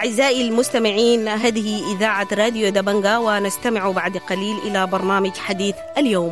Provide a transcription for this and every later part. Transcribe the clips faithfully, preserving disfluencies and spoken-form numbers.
أعزائي المستمعين، هذه إذاعة راديو دبنجا، ونستمع بعد قليل إلى برنامج حديث اليوم.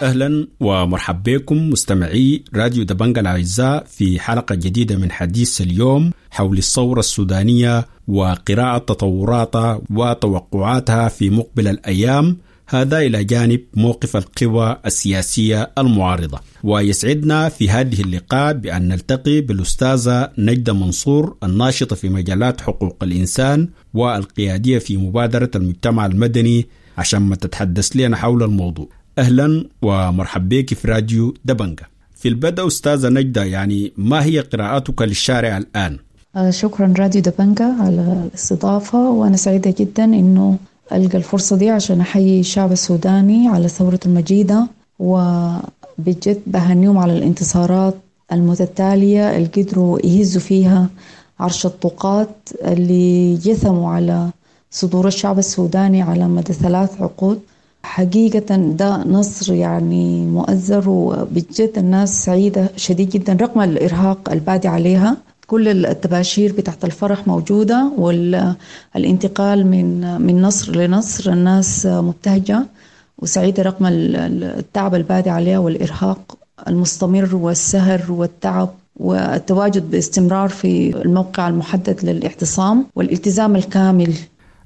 أهلا ومرحبا بكم مستمعي راديو دبنجا الأعزاء في حلقة جديدة من حديث اليوم حول الثورة السودانية وقراءة تطوراتها وتوقعاتها في مقبل الأيام، هذا إلى جانب موقف القوى السياسية المعارضة. ويسعدنا في هذه اللقاء بأن نلتقي بالأستاذة نجدة منصور، الناشطة في مجالات حقوق الإنسان والقيادية في مبادرة المجتمع المدني، عشان ما تتحدث لنا حول الموضوع. أهلا ومرحبا بك في راديو دبنجا. في البدء أستاذة نجدة، يعني ما هي قراءتك للشارع الآن؟ شكرا راديو دبنجا على الاستضافة، وأنا سعيدة جدا إنه ألقى الفرصة دي عشان أحيي الشعب السوداني على ثورة المجيدة، وبجد بهنيهم على الانتصارات المتتالية اللي قدروا يهزوا فيها عرش الطوقات اللي جثموا على صدور الشعب السوداني على مدى ثلاث عقود. حقيقة ده نصر يعني مؤزر، وبجد الناس سعيدة شديد جدا رغم الإرهاق البادي عليها. كل التباشير بتاعت الفرح موجودة، والانتقال من من نصر لنصر، الناس مبتهجة وسعيدة رغم التعب البادي عليها والإرهاق المستمر والسهر والتعب والتواجد باستمرار في الموقع المحدد للاعتصام والالتزام الكامل.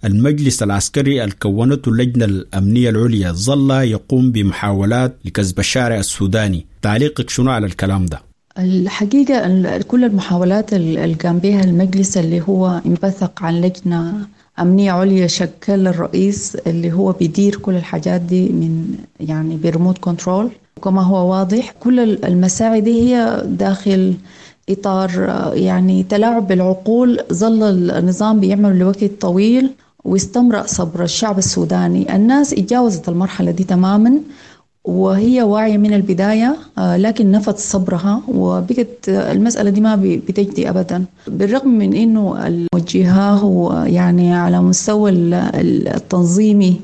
المجلس العسكري الكونته اللجنة الأمنية العليا ظل يقوم بمحاولات لكسب الشارع السوداني، تعليقك شنو على الكلام ده؟ الحقيقة كل المحاولات اللي قام بها المجلس اللي هو انبثق عن لجنة أمنية عليا شكل الرئيس اللي هو بيدير كل الحاجات دي من يعني بريموت كنترول، وكما هو واضح كل المساعي دي هي داخل إطار يعني تلاعب بالعقول. ظل النظام بيعمل لوقت طويل واستمرأ صبر الشعب السوداني. الناس اتجاوزت المرحلة دي تماما وهي واعية من البداية، لكن نفت صبرها وبقت المسألة دي ما بتجدي أبدا، بالرغم من إنه الموجهة يعني على مستوى التنظيمي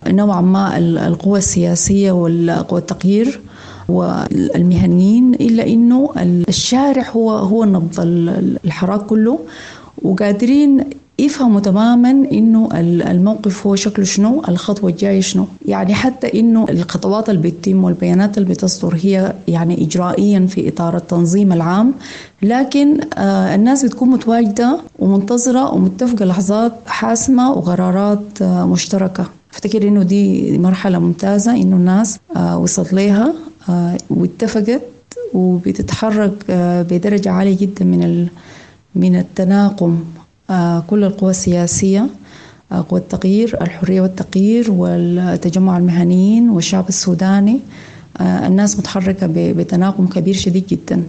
نوعا ما القوى السياسية والقوى التغيير والمهنيين، إلا إنه الشارع هو هو نبض الحراك كله، وقادرين يفهموا تماما إنه الموقف هو شكله شنو، الخطوة الجاية شنو. يعني حتى إنه الخطوات اللي بتتم والبيانات اللي بتصدر هي يعني إجرائيا في إطار التنظيم العام، لكن الناس بتكون متواجدة ومنتظرة ومتفقة لحظات حاسمة وقرارات مشتركة. أفتكر إنه دي مرحلة ممتازة إنه الناس وصلت لها واتفقت وبتتحرك بدرجة عالية جدا من من التناغم. كل القوى السياسية، قوى التغيير، الحرية والتغيير والتجمع المهنيين والشعب السوداني، الناس متحركة بتناغم كبير شديد جدا،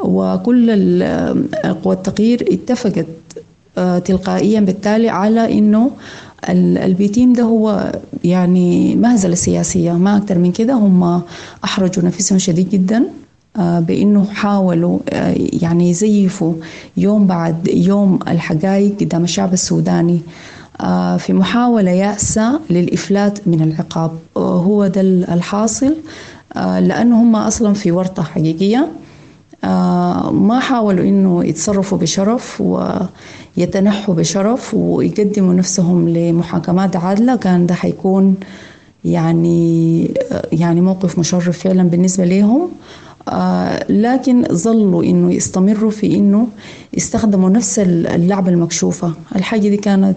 وكل قوى التغيير اتفقت تلقائيا بالتالي على إنه البيتيم ده هو يعني مهزلة سياسية ما أكتر من كده. هم أحرجوا نفسهم شديد جدا بأنه حاولوا يعني يزيفوا يوم بعد يوم الحقائق قدام الشعب السوداني في محاولة يأسة للإفلات من العقاب. هو ده الحاصل، لأنه هم أصلا في ورطة حقيقية، ما حاولوا إنه يتصرفوا بشرف ويتنحوا بشرف ويقدموا نفسهم لمحاكمات عادلة. كان ده حيكون يعني يعني موقف مشرف فعلا بالنسبة لهم، لكن ظلوا إنه يستمروا في إنه يستخدموا نفس اللعبة المكشوفة. الحاجة دي كانت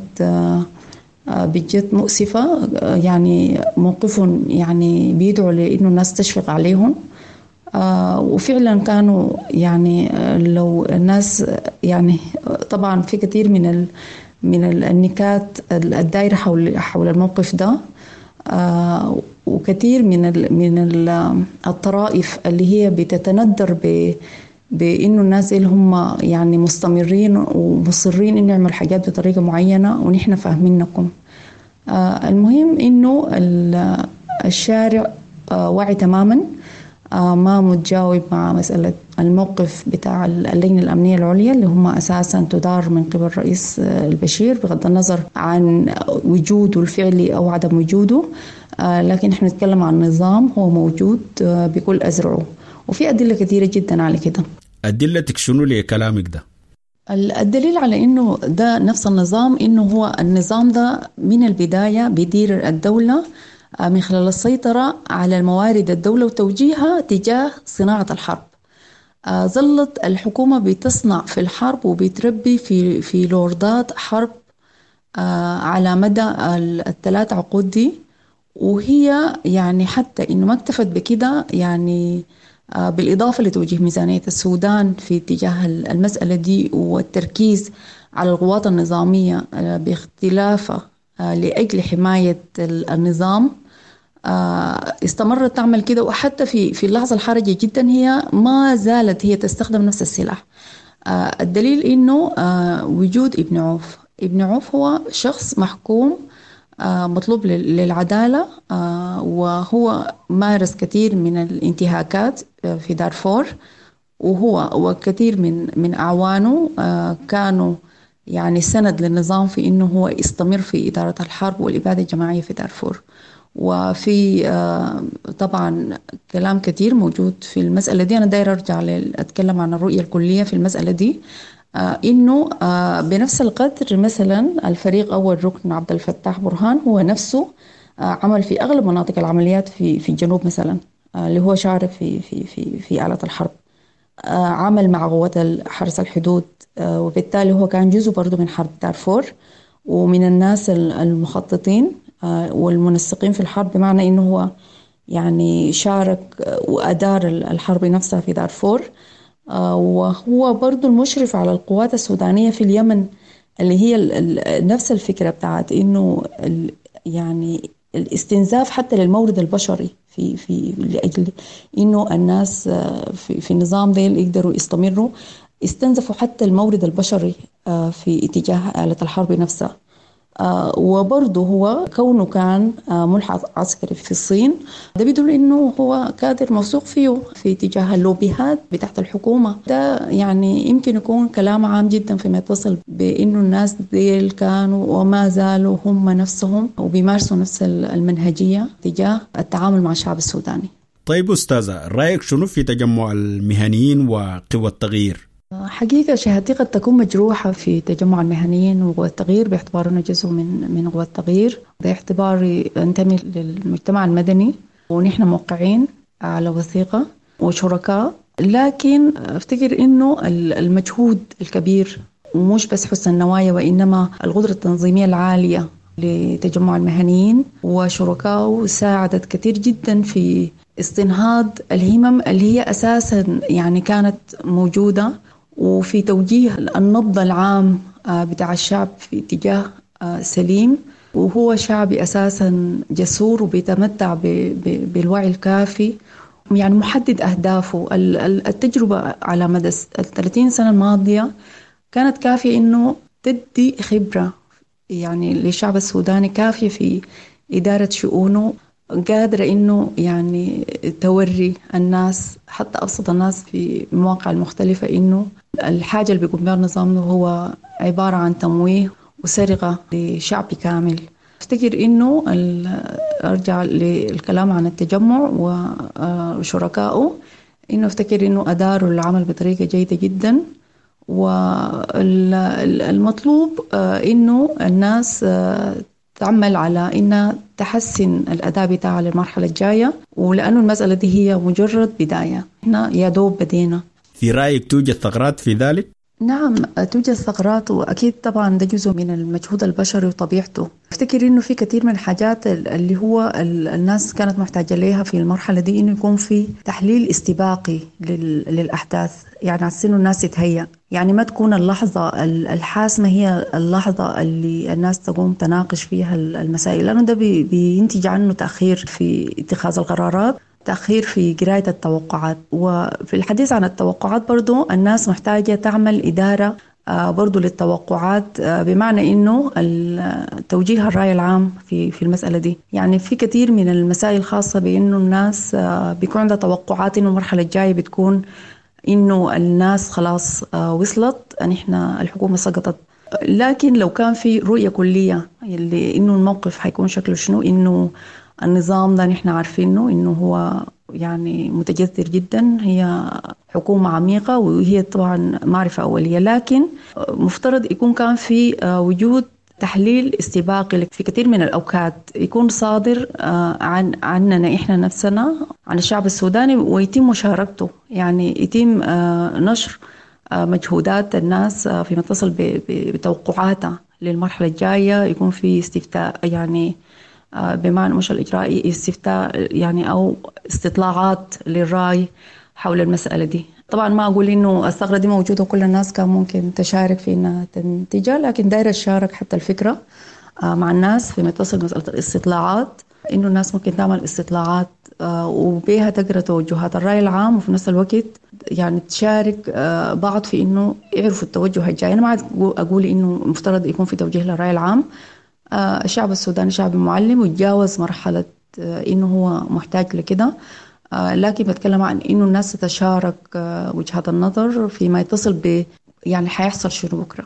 بجد مؤسفة، يعني موقفهم يعني بيدعوا لإنه الناس تشفق عليهم، وفعلا كانوا يعني لو الناس يعني طبعا في كثير من ال من النكات الدائرة حول حول الموقف ده، وكثير من ال من ال الطرائف اللي هي بتتندر ب بإنه الناس اللي هم يعني مستمرين ومصرين إنه يعملوا حاجات بطريقة معينة ونحن فاهمينكم. المهم إنه الشارع واعي تماما، ما متجاوب مع مسألة الموقف بتاع اللجنة الأمنية العليا اللي هم أساسا تدار من قبل الرئيس البشير بغض النظر عن وجوده الفعلي أو عدم وجوده، لكن احنا نتكلم عن نظام هو موجود بكل أزرعه، وفي أدلة كثيرة جدا على كده. أدلتك شنو لكلامك ده؟ الدليل على إنه ده نفس النظام، إنه هو النظام ده من البداية بيدير الدولة من خلال السيطرة على الموارد الدولة وتوجيهها تجاه صناعة الحرب. ظلت الحكومة بتصنع في الحرب وبتربي في في لوردات حرب على مدى الثلاث عقود دي، وهي يعني حتى إنه ما اكتفت بكده، يعني بالإضافة لتوجيه ميزانية السودان في اتجاه المسألة دي والتركيز على القوات النظامية باختلافها لأجل حماية النظام، استمرت تعمل كده. وحتى في في اللحظة الحرجة جدا هي ما زالت هي تستخدم نفس السلاح. الدليل إنه وجود ابن عوف، ابن عوف هو شخص محكوم مطلوب للعدالة، وهو مارس كثير من الانتهاكات في دارفور، وهو وكثير من من أعوانه كانوا يعني سند للنظام في إنه هو يستمر في إدارة الحرب والإبادة الجماعية في دارفور. وفي طبعا كلام كثير موجود في المسألة دي. أنا داير أرجع أتكلم عن الرؤية الكلية في المسألة دي، إنه بنفس القدر مثلا الفريق أول ركن عبد الفتاح برهان هو نفسه عمل في أغلب مناطق العمليات في في الجنوب مثلا، اللي هو شارك في في في في آلة الحرب، عمل مع قوات حرس الحدود، وبالتالي هو كان جزء برضه من حرب دارفور ومن الناس المخططين والمنسقين في الحرب، بمعنى إنه هو يعني شارك وأدار الحرب نفسها في دارفور. وهو برضو المشرف على القوات السودانية في اليمن، اللي هي نفس الفكرة بتاعت إنه يعني الاستنزاف حتى للمورد البشري في في لأجل إنه الناس في, في النظام ده يقدروا يستمروا، استنزفوا حتى المورد البشري في اتجاه آلة الحرب نفسها. وبرضه هو كونه كان ملحق عسكري في الصين، ده بيدل إنه هو كادر موثوق فيه في اتجاه اللوبيهات بتاعت الحكومة. ده يعني يمكن يكون كلام عام جدا فيما يتصل بإنه الناس ديل كانوا وما زالوا هم نفسهم وبيمارسوا نفس المنهجية تجاه التعامل مع الشعب السوداني. طيب أستاذة، رأيك شنو في تجمع المهنيين وقوى التغيير؟ حقيقة شهادتي قد تكون مجروحة في تجمع المهنيين وقوى التغيير باعتبارنا جزء من من قوى التغيير، باعتباري أنتمي للمجتمع المدني ونحن موقعين على وثيقة وشركاء، لكن أفتكر إنه المجهود الكبير ومش بس حسن النوايا وإنما القدرة التنظيمية العالية لتجمع المهنيين وشركائه ساعدت كثير جدا في استنهاض الهمم اللي هي أساسا يعني كانت موجودة، وفي توجيه النبض العام بتاع الشعب في اتجاه سليم، وهو شعبي أساسا جسور وبيتمتع بالوعي الكافي، يعني محدد أهدافه. التجربة على مدى الثلاثين سنة الماضية كانت كافية إنه تدي خبرة يعني للشعب السوداني كافية في إدارة شؤونه، قادرة إنه يعني توري الناس حتى أبسط الناس في المواقع المختلفة إنه الحاجة اللي بيقوم بها النظام هو عبارة عن تمويه وسرقة لشعب كامل. أفتكر إنه أرجع للكلام عن التجمع وشركائه، إنه أفتكر إنه أداروا العمل بطريقة جيدة جدا، والمطلوب إنه الناس تعمل على إنها تحسن الأداء بتاعها للمرحلة الجاية، ولأنه المسألة دي هي مجرد بداية، إحنا يا دوب بدينا. في رأيك توجد ثغرات في ذلك؟ نعم توجد ثغرات، وأكيد طبعا ده جزء من المجهود البشري وطبيعته. أفتكر إنه في كثير من الحاجات اللي هو الناس كانت محتاجة ليها في المرحلة دي، إنه يكون في تحليل استباقي للأحداث، يعني عشان الناس تتهيأ، يعني ما تكون اللحظة الحاسمة هي اللحظة اللي الناس تقوم تناقش فيها المسائل، لأنه ده بينتج عنه تأخير في اتخاذ القرارات، تأخير في قراية التوقعات. وفي الحديث عن التوقعات برضو الناس محتاجة تعمل إدارة برضو للتوقعات، بمعنى إنه توجيه الرأي العام في في المسألة دي. يعني في كثير من المسائل الخاصة بإنه الناس بيكون عندها توقعات إنه المرحلة الجاية بتكون إنه الناس خلاص وصلت، نحن الحكومة سقطت. لكن لو كان في رؤية كلية اللي إنه الموقف حيكون شكله شنو، إنه النظام ده نحن عارفينه إنه هو يعني متجذر جدا، هي حكومة عميقة وهي طبعا معرفة أولية، لكن مفترض يكون كان في وجود تحليل استباقي في كثير من الأوقات يكون صادر عن عننا إحنا نفسنا، عن الشعب السوداني، ويتم مشاركته، يعني يتم نشر مجهودات الناس فيما يتصل بتوقعاتها للمرحلة الجاية، يكون في استفتاء يعني بمعنى مش الإجرائي، استفتاء يعني أو استطلاعات للرأي حول المسألة دي. طبعا ما أقول إنه الثغرة دي موجودة وكل الناس كان ممكن تشارك في إنها تنتجها، لكن دايرة تشارك حتى الفكرة مع الناس فيما يتصل مسألة الاستطلاعات، إنه الناس ممكن تعمل استطلاعات وبيها تقرأ توجهات الرأي العام، وفي نفس الوقت يعني تشارك بعض في إنه يعرفوا التوجه الجاي. أنا ما أقول إنه مفترض يكون في توجيه للرأي العام، الشعب السوداني شعب معلم وتجاوز مرحلة إنه هو محتاج لكده، لكن بتكلم عن إنه الناس تتشارك وجهات النظر فيما يتصل ب يعني حيحصل شنو بكرة.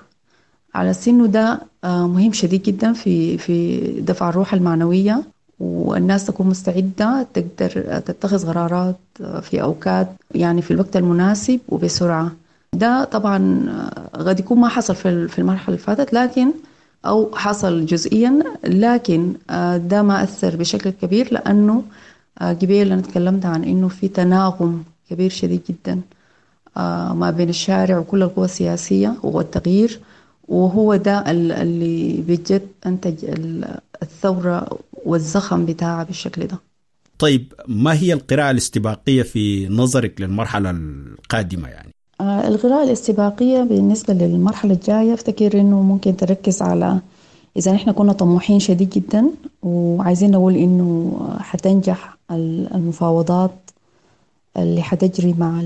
على سنه ده مهم شديد جدا في في دفع الروح المعنوية، والناس تكون مستعدة تقدر تتخذ قرارات في أوقات يعني في الوقت المناسب وبسرعة. ده طبعا قد يكون ما حصل في المرحلة اللي فاتت، لكن أو حصل جزئيا، لكن ده ما أثر بشكل كبير، لأنه قبل أنا تكلمت عن إنه في تناغم كبير شديد جدا ما بين الشارع وكل القوى السياسية والتغيير، وهو ده اللي بجد أنتج الثورة والزخم بتاعها بالشكل ده. طيب، ما هي القراءة الاستباقية في نظرك للمرحلة القادمة؟ يعني القراءة الاستباقية بالنسبة للمرحلة الجاية افتكر إنه ممكن تركز على إذا نحن كنا طموحين شديد جدا وعايزين نقول إنه حتنجح المفاوضات اللي حتجري مع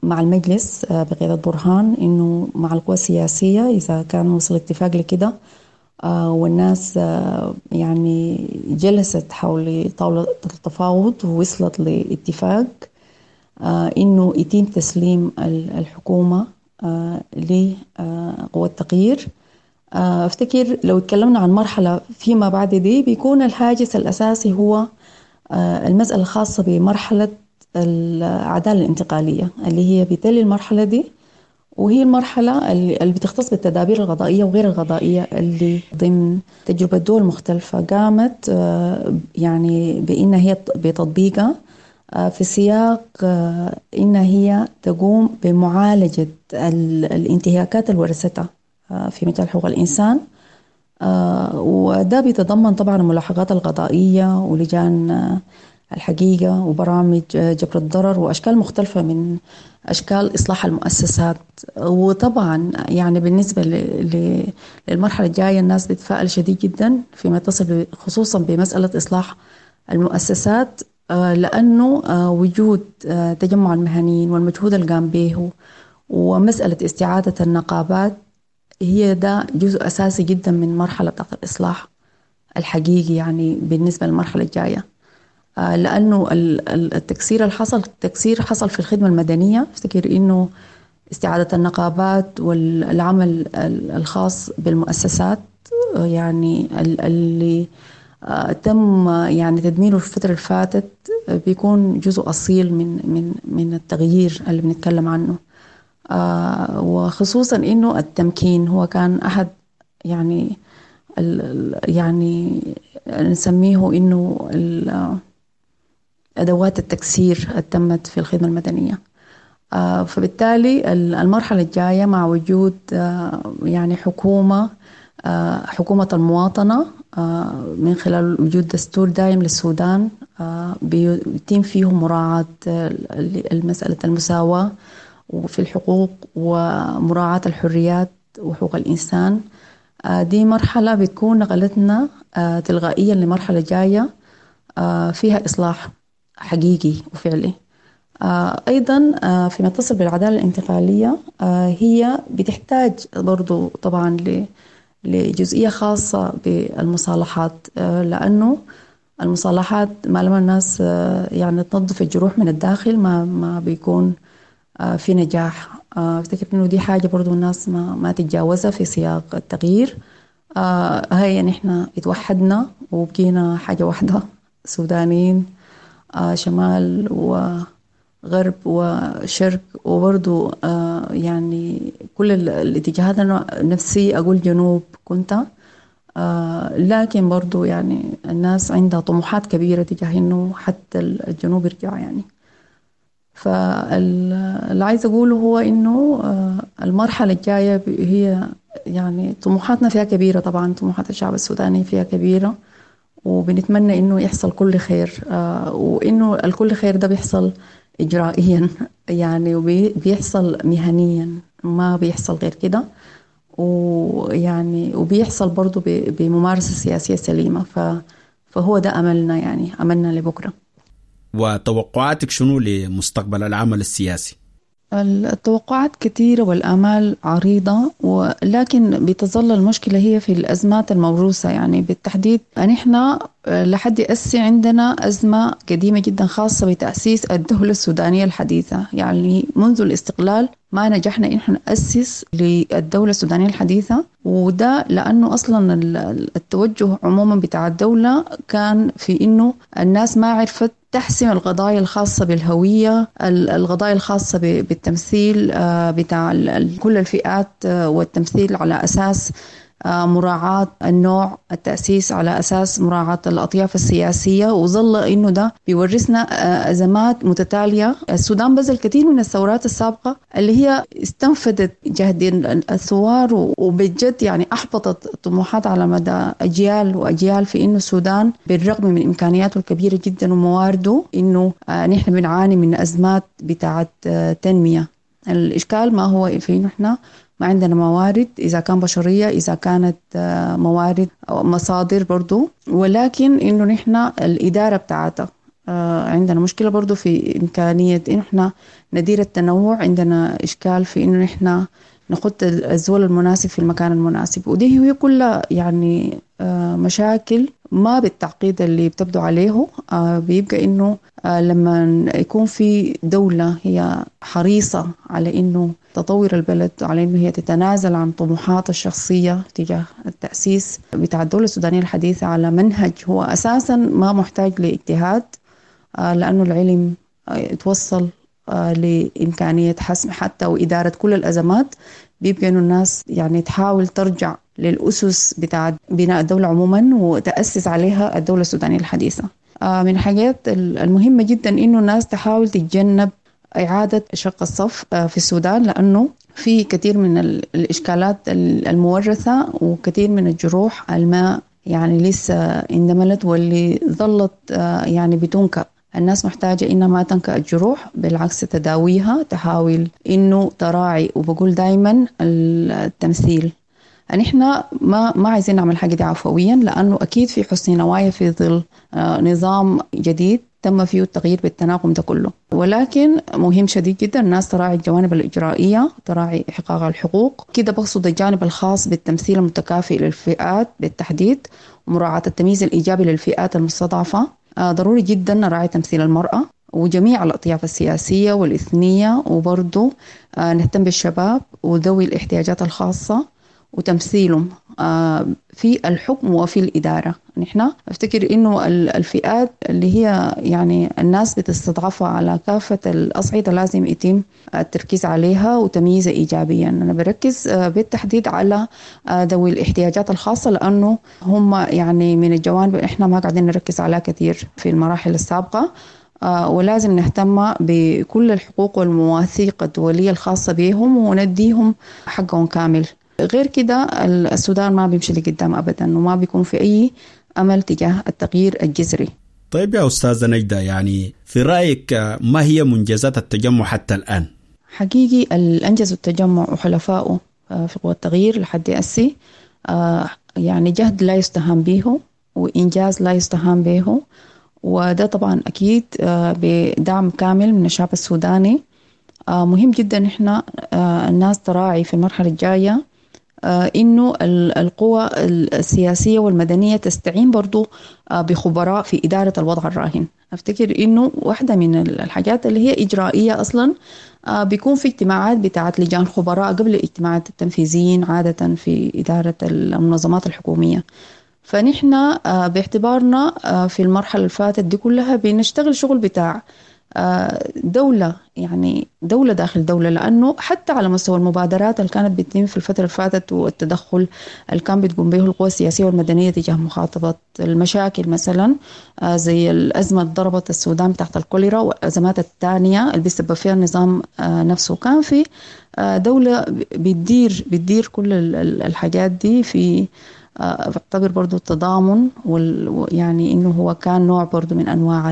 مع المجلس بقيادة برهان، إنه مع القوى السياسية إذا كان وصل اتفاق لكده والناس يعني جلست حول طاولة التفاوض ووصلت لاتفاق إنه يتم تسليم الحكومة لقوى التغيير. أفتكر لو تكلمنا عن مرحلة فيما بعد دي بيكون الهاجس الأساسي هو المسألة الخاصة بمرحلة العدالة الانتقالية اللي هي بتلي المرحلة دي، وهي المرحلة اللي بتختص بالتدابير الغضائية وغير الغضائية اللي ضمن تجربة دول مختلفة قامت يعني بإن هي بتطبيقها في سياق إن هي تقوم بمعالجة الانتهاكات اللي ورثتها في مجال حقوق الإنسان، وده بيتضمن طبعا الملاحقات القضائية ولجان الحقيقة وبرامج جبر الضرر وأشكال مختلفة من أشكال إصلاح المؤسسات. وطبعا يعني بالنسبة للمرحلة الجاية الناس بتتفائل شديد جدا فيما يتصل خصوصا بمسألة إصلاح المؤسسات، لأنه وجود تجمع المهنيين والمجهود اللي قام به ومسألة استعادة النقابات هي ده جزء أساسي جدا من مرحلة بتاعت الإصلاح الحقيقي يعني بالنسبة للمرحلة الجاية، لأنه التكسير اللي حصل التكسير حصل في الخدمة المدنية. افتكر إنه استعادة النقابات والعمل الخاص بالمؤسسات يعني اللي تم يعني تدميره في الفترة اللي فاتت بيكون جزء أصيل من من من التغيير اللي بنتكلم عنه، وخصوصا إنه التمكين هو كان أحد يعني يعني نسميه إنه أدوات التكسير تمت في الخدمة المدنية. فبالتالي المرحلة الجاية مع وجود يعني حكومة حكومة المواطنة من خلال وجود دستور دائم للسودان بيتم فيه مراعاة المسألة المساواة وفي الحقوق ومراعاة الحريات وحقوق الإنسان، دي مرحلة بتكون نقلتنا تلقائيا لمرحلة جاية فيها إصلاح حقيقي وفعلي. أيضا فيما يتصل بالعدالة الانتقالية هي بتحتاج برضو طبعا لجزئية خاصة بالمصالحات، لأنه المصالحات ما لما الناس يعني تنظف الجروح من الداخل ما, ما بيكون في نجاح. أفتكر إنه دي حاجة برضو الناس ما, ما تتجاوزها في سياق التغيير. هاي نحن اتوحدنا وبقينا حاجة واحدة، سودانيين شمال وغرب وشرق، وبرضو يعني كل الاتجاهات. أنا نفسي أقول جنوب كنت، لكن برضو يعني الناس عندها طموحات كبيرة تجاه إنه حتى الجنوب يرجع يعني. فاللي عايز أقوله هو إنه المرحلة الجاية هي يعني طموحاتنا فيها كبيرة، طبعا طموحات الشعب السوداني فيها كبيرة، وبنتمنى إنه يحصل كل خير، وإنه الكل خير ده بيحصل إجرائيا يعني، وبيحصل مهنيا، ما بيحصل غير كده، ويعني وبيحصل برضو بممارسة سياسية سليمة. فهو ده أملنا، يعني أملنا لبكرة. وتوقعاتك شنو لمستقبل العمل السياسي؟ التوقعات كثيرة والآمال عريضة، ولكن بتظل المشكلة هي في الأزمات الموروثة. يعني بالتحديد نحن لحد أسي عندنا أزمة قديمة جدا خاصة بتأسيس الدولة السودانية الحديثة. يعني منذ الاستقلال ما نجحنا إن احنا نأسس للدولة السودانية الحديثة، وده لأنه أصلا التوجه عموما بتاع الدولة كان في إنه الناس ما عرفت تحسم القضايا الخاصة بالهوية، القضايا الخاصة بالتمثيل بتاع كل الفئات، والتمثيل على أساس مراعاة النوع، التأسيس على أساس مراعاة الأطياف السياسية. وظل إنه ده بيورثنا أزمات متتالية. السودان بذل كثير من الثورات السابقة اللي هي استنفذت جهد الثوار، وبجد يعني أحبطت طموحات على مدى أجيال وأجيال في إنه السودان بالرغم من إمكانياته الكبيرة جدا وموارده إنه نحن بنعاني من أزمات بتاعة تنمية. الإشكال ما هو في إنه إحنا ما عندنا موارد، إذا كان بشرية، إذا كانت موارد أو مصادر برضو، ولكن إنه نحن الإدارة بتاعتها عندنا مشكلة برضو في إمكانية إنه إحنا ندير التنوع. عندنا إشكال في إنه نحن نحط الزول المناسب في المكان المناسب، ودي هي كلها يعني مشاكل ما بالتعقيد اللي بتبدو عليه. بيبقى إنه لما يكون في دولة هي حريصة على إنه تطور البلد، على إنه هي تتنازل عن طموحاتها الشخصية تجاه التأسيس بتاع الدولة السودانية الحديثة على منهج هو أساسا ما محتاج لاجتهاد، لأنه العلم توصل لإمكانية حسم حتى وإدارة كل الأزمات. بيبقى إنه الناس يعني تحاول ترجع للأسس بتاع بناء الدولة عموما وتأسس عليها الدولة السودانية الحديثة. من الحاجات المهمة جدا إنه الناس تحاول تتجنب إعادة شق الصف في السودان، لأنه في كثير من الإشكالات المورثة وكثير من الجروح الماء يعني لسه اندملت واللي ظلت يعني بتنكأ. الناس محتاجة إنها ما تنكأ الجروح، بالعكس تداويها، تحاول إنه تراعي. وبقول دايما التمثيل، نحن ما ما عايزين نعمل حاجة دي عفويا، لأنه أكيد في حسن نوايا في ظل نظام جديد تم فيه التغيير بالتناغم ده كله، ولكن مهم شديد جدا الناس تراعي الجوانب الإجرائية، تراعي إحقاق الحقوق. كده بقصد الجانب الخاص بالتمثيل المتكافئ للفئات بالتحديد، ومراعاة التمييز الإيجابي للفئات المستضعفة. ضروري جدا نراعي تمثيل المرأة وجميع الأطياف السياسية والإثنية، وبرضو نهتم بالشباب وذوي الاحتياجات الخاصة وتمثيلهم في الحكم وفي الإدارة. نحن أفتكر إنه الفئات اللي هي يعني الناس بتستضعفها على كافة الأصعدة لازم يتم التركيز عليها وتمييزها إيجابيا. أنا بركز بالتحديد على ذوي الاحتياجات الخاصة، لأنه هم يعني من الجوانب إحنا ما قاعدين نركز عليها كثير في المراحل السابقة، ولازم نهتم بكل الحقوق والمواثيق الدولية الخاصة بهم ونديهم حقهم كامل. غير كده السودان ما بيمشي لقدام أبدا، وما بيكون في أي أمل تجاه التغيير الجذري. طيب يا أستاذة نجدة، يعني في رأيك ما هي منجزات التجمع حتى الآن؟ حقيقي الأنجز التجمع وحلفائه في قوى التغيير لحد أسي يعني جهد لا يستهان به، وإنجاز لا يستهان به، وده طبعا أكيد بدعم كامل من الشعب السوداني. مهم جدا إحنا الناس تراعي في المرحلة الجاية إنه القوى السياسية والمدنية تستعين برضو بخبراء في إدارة الوضع الراهن. أفتكر إنه واحدة من الحاجات اللي هي إجرائية أصلا بيكون في اجتماعات بتاعت لجان خبراء قبل اجتماعات التنفيذيين عادة في إدارة المنظمات الحكومية. فنحن باعتبارنا في المرحلة اللي فاتت دي كلها بنشتغل شغل بتاع دولة، يعني دولة داخل دولة، لأنه حتى على مستوى المبادرات اللي كانت بتتم في الفترة اللي فاتت والتدخل اللي كان بتقوم به القوى السياسية والمدنية تجاه مخاطبة المشاكل مثلا زي الأزمة اللي ضربت السودان تحت الكوليرا والأزمات الثانية اللي بيسبب فيها النظام نفسه، كان في دولة بتدير بتدير كل الحاجات دي. في بعتبر برضو التضامن وال يعني إنه هو كان نوع برضو من أنواع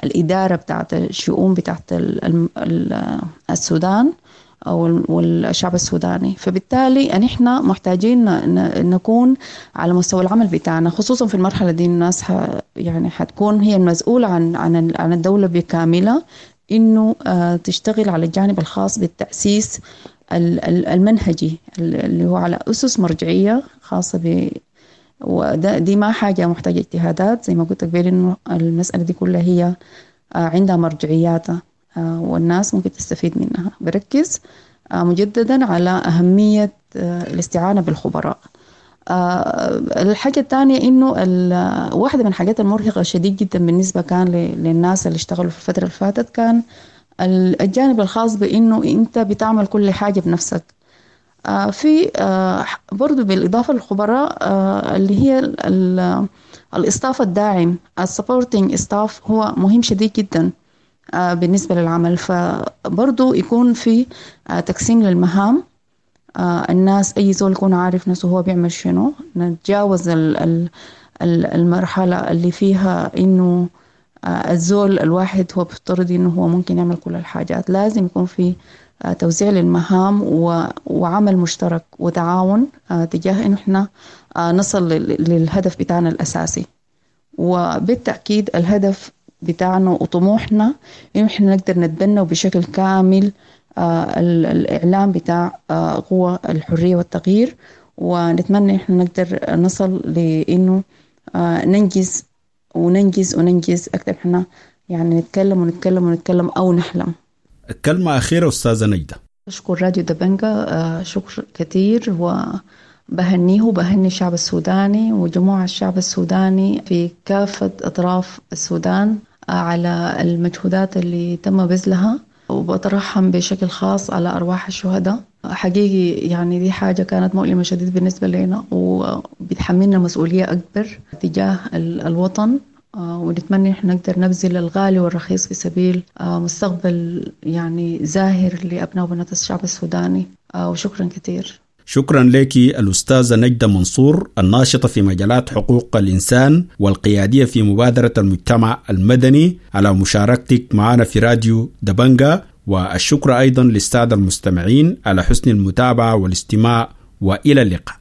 الإدارة بتاعت الشؤون بتاعت السودان أو والشعب السوداني. فبالتالي نحن محتاجين نكون على مستوى العمل بتاعنا، خصوصا في المرحلة دي الناس ح يعني حتكون هي المسؤولة عن عن عن الدولة بكاملة، إنه تشتغل على الجانب الخاص بالتأسيس المنهجي اللي هو على أسس مرجعية خاصة ب وده دي ما حاجة محتاجة اجتهادات زي ما قلت قبل، إنه المسألة دي كلها هي عندها مرجعياتها والناس ممكن تستفيد منها. بركز مجددا على أهمية الاستعانة بالخبراء. الحاجة الثانية إنه واحدة من الحاجات المرهقة شديد جدا بالنسبة كان للناس اللي اشتغلوا في الفترة اللي فاتت كان الجانب الخاص بإنه أنت بتعمل كل حاجة بنفسك. في برضو بالإضافة للخبراء اللي هي ال staff الداعم، ال supporting staff، هو مهم شديد جدا بالنسبة للعمل. فبرضو يكون في تقسيم للمهام، الناس أي زول يكون عارف نفسه هو بيعمل شنو، نتجاوز المرحلة اللي فيها إنه الزول الواحد هو بيفترض إنه هو ممكن يعمل كل الحاجات. لازم يكون في توزيع للمهام وعمل مشترك وتعاون تجاه إنه إحنا نصل للهدف بتاعنا الأساسي. وبالتأكيد الهدف بتاعنا وطموحنا إنه إحنا نقدر نتبنى بشكل كامل الإعلام بتاع قوى الحرية والتغيير، ونتمنى إحنا نقدر نصل لإنه ننجز وننجز وننجز أكثر. إحنا يعني نتكلم ونتكلم ونتكلم أو نحلم. كلمة أخيرة أستاذة نجدة. أشكر راديو دبنجة شكر كثير، وبهنيه وبهني الشعب السوداني وجموع الشعب السوداني في كافة أطراف السودان على المجهودات اللي تم بذلها، وبترحم بشكل خاص على أرواح الشهداء. حقيقي يعني دي حاجة كانت مؤلمة شديد بالنسبة لنا، وبتحملنا مسؤولية أكبر تجاه الوطن، ونتمنى إحنا نقدر نبذل الغالي والرخيص في سبيل مستقبل يعني زاهر لأبناء وبنات الشعب السوداني. وشكرا كثير. شكرا لك الأستاذة نجدة منصور، الناشطة في مجالات حقوق الإنسان والقيادية في مبادرة المجتمع المدني، على مشاركتك معنا في راديو دبنجة. والشكر أيضا للسادة المستمعين على حسن المتابعة والاستماع، وإلى اللقاء.